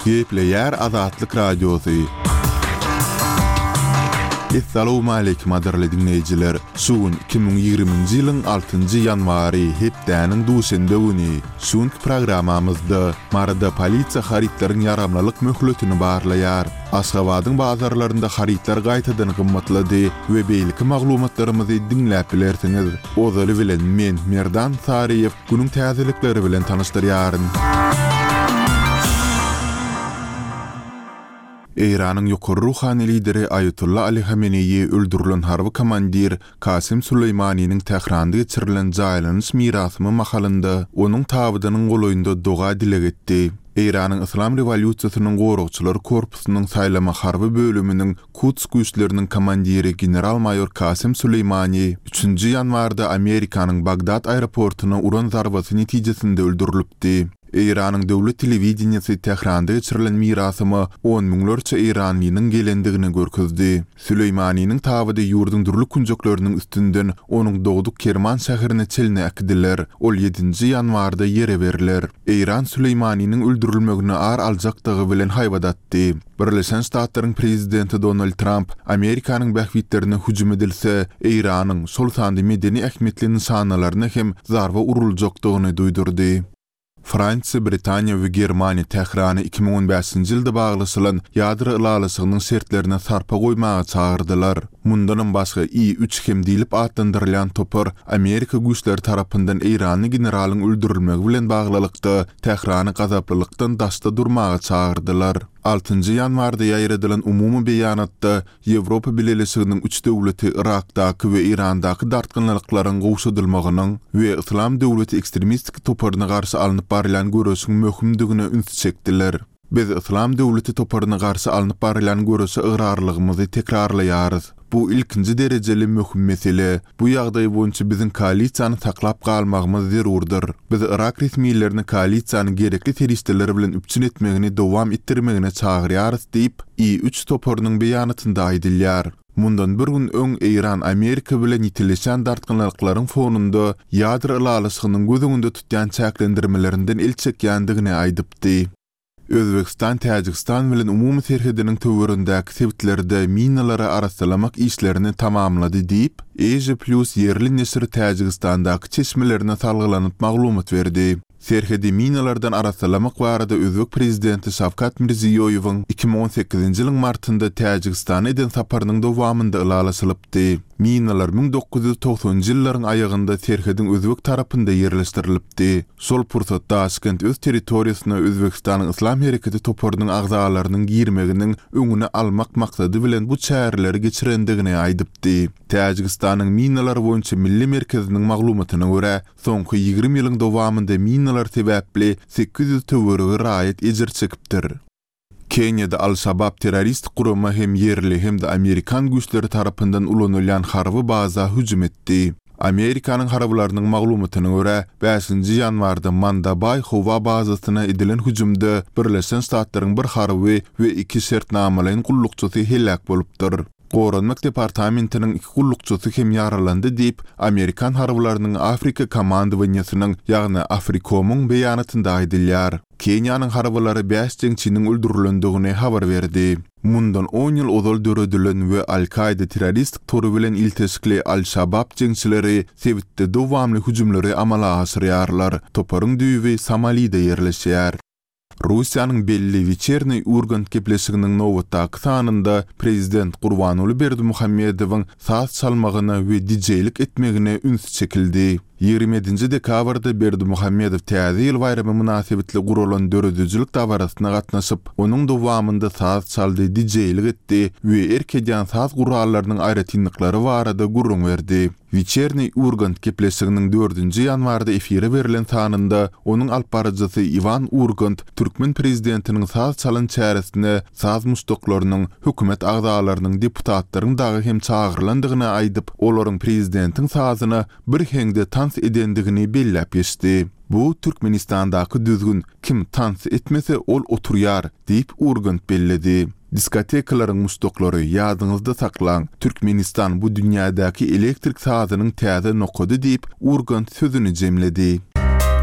Gepleýär Azatlyk Radiosy. Essalawmaleýkim gadyrly diňleýjiler! Şu gün 2020-nji ýylyň altynjy ýanwary, hepdäniň duşenbe güni. Şu günki programmamyzda Maryda polisiýa harytlaryň ýaramlylyk möhletini barlaýar. Aşgabadyň bazarlarynda harytlar gaýtadan gymmatlady we beýleki maglumatlarymyzy diňläp bilersiňiz. Ozaly bilen men, Merdan Saryýew, günüň täzelikleri bilen tanyşdyrýaryn. Eýranyň ýokary ruhany lideri Aýatolla Ali Hameneýi öldürilen harby komandir Kasem Süleýmaniniň Tähranda geçirilen jaýlanyş mirasymy mahalynda onuň tabydynyň golaýynda doga-dileg etdi. Eýranyň Yslam rewolýusiýasynyň goragçylary korpusynyň saýlama harby bölüminiň Kuds güýçleriniň komandiri general-maýor Kasem Süleýmani üçünji ýanwarda Amerikanyň Bagdad aeroportuna uran zarbasy netijesinde öldürilipdi. Eýranyň döwlet telewideniýesi Tähranda geçirilen mirasyma on müňlerçe eýranlynyň gelendigini görkezdi. Süleýmaniniň tabydy ýurduň dürli künjekleriniň üstünden onuň dogduk Kerman şäherine çenli äkidiler. Ol ýedinji ýanwarda ýere berler. Eýran Süleýmaniniň öldürilmegine ar aljakdygy bilen haýbat atdy. Birleşen Ştatlaryň prezidenti Donald Tramp Amerikanyň bähbitlerine hüjüm edilse, Eýranyň, şol sanda medeni ähmiýetli nyşanalaryna hem zarba uruljakdygyny duýdurdy. Fransiýa, Britaniýa we Germaniýa Tährany 2015-nji ýylda baglaşylan ýadro ylalaşygynyň şertlerine sarpa goýmaga çagyrdylar. Mundanam başga, I üç hem diýlip atlandyrylýan topar Amerika güýçleri tarapyndan eýranly generalyň öldürilmegi bilen baglylykda Tährany gazaplylykdan daşda durmaga çagyrdylar. Altynjy ýanwarda ýaýradylan umumy beýanatda Ýewropa Bileleşiginiň üç döwleti Yrakdaky we Eýrandaky dartgynlyklaryň gowşadylmagynyň we Yslam döwleti ekstremistik toparyna garşy alnyp barylýan göreşiň möhümdigine ünsi çekdiler. Biz Yslam döwleti toparyna garşy alnyp barylýan göreşe ygrarlygymyzy tekrarlaýarys. Bu ilkinji derejeli möhüm mesele. Bu ýagdaý boýunça biziň koalisiýany saklap galmagymyz zerurdyr. Biz yrak resmilerini koalisiýany gerekli serişdeler bilen üpjün etmegini dowam etdirmegine çagyrýarys diýip, I üç toparynyň beýanatynda aýdylýar. Mundan bir gün öň Eýran Amerika bilen ýitileşen dartgynlyklaryň fonunda ýadro ylalaşygynyň göz öňünde tutýan çäklendirmelerinden el çekýändigini aýdypdy. Özbegistan Täjigistan bilen umumy serhediniň töweregindäki sebitlerde minalary arassalamak işlerini tamamlady diýip, Asia Plus ýerli neşiri Täjigistandaky çeşmelerine salgylanyp maglumat berdi. Serhedi minalardan arassalamak barada özbek prezidenti Şawkat Mirziýoýewiň 2018-nji ýylyň martynda Täjigistana eden saparynyň dowamynda ylalaşylypdy. Minalar 1990-njy ýyllaryň aýagynda serhediň özbek tarapynda ýerleşdirilipdi. Şol pursat Daşkent öz territoriýasyna Özbegistanyň Yslam hereketi toparynyň agzalarynyň girmeginiň öňüni almak maksady bilen bu çäreleri geçirendigini aýdypdy. Täjigistanyň Minalar boýunça milli merkeziniň maglumatyna görä, soňky 20 ýylyň dowamynda minalar sebäpli 800 töweregi raýat ejir çekipdir. Keniýada Al-Şabab terroristik gurama hem ýerli hem-de amerikan güýçleri tarapyndan ulanylýan harby baza hüjüm etdi. Amerikanyň harbylarynyň maglumatyna görä, bäşinji ýanwarda Mandabaý howa bazasyna edilen hüjümde Birleşen Ştatlaryň bir harby we iki şertnamalaýyn gullukçysy heläk bolupdyr. Goranmak departamentiniň iki gullukçysy hem ýaralandy diýip, amerikan harbylarynyň Afrika komandowaniýesiniň, ýagny Afrikomyň beýanatynda aýdylýar. Keniýanyň harbylary bäş jeňçiniň öldürilendigini habar berdi. Mundan on ýyl ozal döredilen we Al-Kaýda terroristik tory bilen ilteşikli Al-Şabab jeňçileri sebitde dowamly hüjümleri amala aşyrýarlar. Toparyň düýbi Somalide ýerleşýär. Russiýanyň belli Weçerniý Urgant gepleşiginiň nobatdaky sanynda prezident Gurbanguly Berdimuhamedowyň saz çalmagyna we dijeýlik etmegine üns çekildi. 27-nji dekabrda Berdimuhamedow Täze ýyl baýramy mynasybetli guralan döredijilik dabarasyna gatnaşyp, onuň dowamynda saz çaldy, dijeýlik etdi we erk edýän saz gurallarynyň aýratynlyklary barada gürrüň berdi. Weçerniý Urgant gepleşiginiň dördünji ýanwarda efire berlen sanynda onuň alyp baryjysy Iwan Urgant türkmen prezidentiniň saz çalan çäresine saz muşdaklarynyň, hökümet agzalarynyň, deputatlaryň dagy hem çagyrylandygyny aýdyp, olaryň prezidentiň sazyna bir heňde tans edendigini belläp geçdi. Bu Türkmenistandaky düzgün, kim tans etmese, ol oturýar, diýip, Urgant belledi. Diskotekalaryň muşdaklary, ýadyňyzda saklaň, Türkmenistan bu dünýädäki elektrik sazynyň täze nokady diýip, Urgant sözüni jemledi.